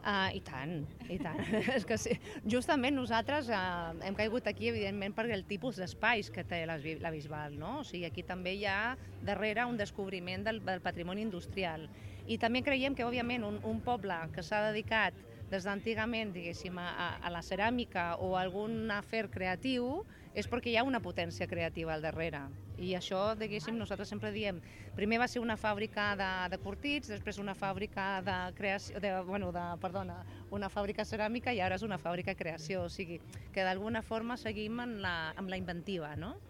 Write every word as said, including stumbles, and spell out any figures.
Ah, i tant, i tant. És que sí. Justament nosaltres eh, hem caigut aquí, evidentment, per el tipus d'espais que té la, la Bisbal, no? O sigui, aquí també hi ha darrere un descobriment del, del patrimoni industrial. I també creiem que, òbviament, un, un poble que s'ha dedicat des d'antigament, diguéssim, a, a la ceràmica o a algun afer creatiu, és perquè hi ha una potència creativa al darrere. I això, diguéssim, nosaltres sempre diem, primer va ser una fàbrica de, de curtits, després una fàbrica de creació, de, bueno, de, perdona, una fàbrica ceràmica i ara és una fàbrica de creació, o sigui, que d'alguna forma seguim en la, amb la inventiva, no?